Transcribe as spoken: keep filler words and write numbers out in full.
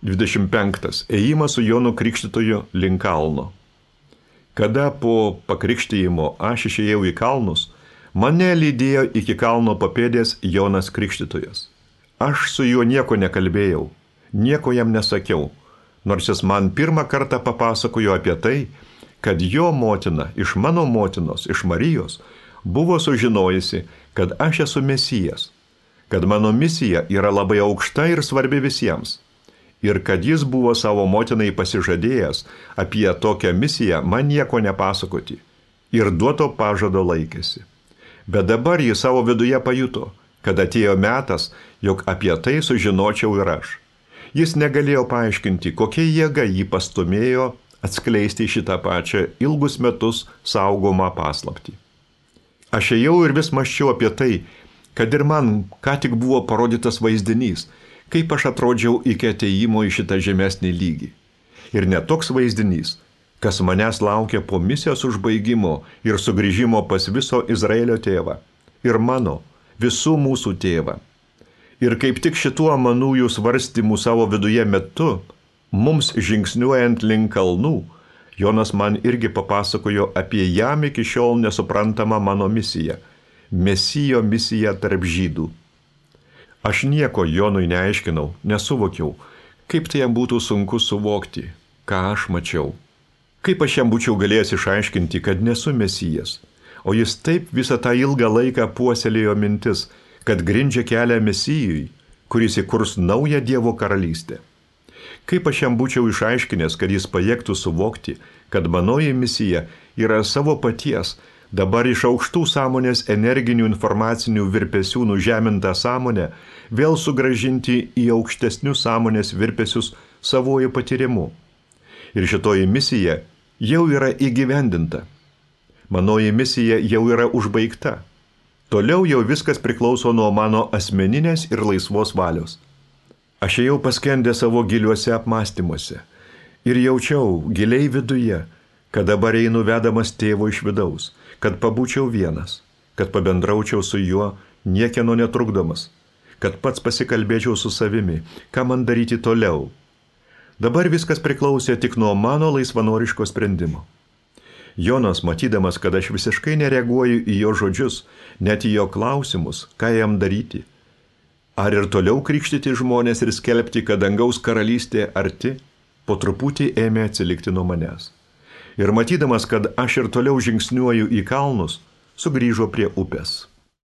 dvidešimt penktas. Ėjimas su Jonu Krikštytoju link kalno. Kada po pakrikštijimo aš išėjau į kalnus, mane lydėjo iki kalno papėdės Jonas Krikštytojas. Aš su juo nieko nekalbėjau, nieko jam nesakiau, nors jis man pirmą kartą papasakojo apie tai, kad jo motina iš mano motinos, iš Marijos, buvo sužinojusi, kad aš esu Mesijas, kad mano misija yra labai aukšta ir svarbi visiems, ir kad jis buvo savo motinai pasižadėjęs apie tokią misiją man nieko nepasakoti, ir duoto pažado laikėsi. Bet dabar jis savo viduje pajuto, kad atėjo metas, jog apie tai sužinočiau ir aš. Jis negalėjo paaiškinti, kokia jėga jį pastumėjo atskleisti šitą pačią ilgus metus saugomą paslaptį. Aš ėjau ir vis mąsčiau apie tai, kad ir man ką tik buvo parodytas vaizdinys, kaip aš atrodžiau iki atėjimo į šitą žemesnį lygį. Ir net toks vaizdinys, kas manęs laukia po misijos užbaigimo ir sugrįžimo pas viso Izraelio tėvą ir mano, visų mūsų tėvą. Ir kaip tik šituo manųjų svarstymų savo viduje metu, mums žingsniuojant link kalnų, Jonas man irgi papasakojo apie jam iki šiol nesuprantamą mano misiją, Mesijo misiją tarp žydų. Aš nieko Jonui neaiškinau, nesuvokiau, kaip tai jam būtų sunku suvokti, ką aš mačiau. Kaip aš jam būčiau galėjęs išaiškinti, kad nesu Mesijas, o jis taip visą tą ilgą laiką puoselėjo mintis, kad grindžia kelią Mesijui, kuris įkurs naują Dievo karalystę. Kaip aš jam būčiau išaiškinęs, kad jis pajėgtų suvokti, kad manoji misija yra savo paties, dabar iš aukštų sąmonės energinių informacinių virpesių nužemintą sąmonę vėl sugrąžinti į aukštesnius sąmonės virpesius savojų patyrimu. Ir šitoji misija jau yra įgyvendinta. Manoji misija jau yra užbaigta. Toliau jau viskas priklauso nuo mano asmeninės ir laisvos valios. Aš ėjau paskendę savo giliuose apmąstymuose ir jaučiau giliai viduje, kad dabar einu vedamas tėvo iš vidaus, kad pabūčiau vienas, kad pabendraučiau su juo niekieno netrukdomas, kad pats pasikalbėčiau su savimi, ką man daryti toliau. Dabar viskas priklausė tik nuo mano laisvanoriško sprendimo. Jonas, matydamas, kad aš visiškai nereaguoju į jo žodžius, net į jo klausimus, ką jam daryti, ar ir toliau krikštyti žmonės ir skelbti, kad dangaus karalystė arti, po truputį ėmė atsilikti nuo manęs. Ir matydamas, kad aš ir toliau žingsniuoju į kalnus, sugrįžo prie upės.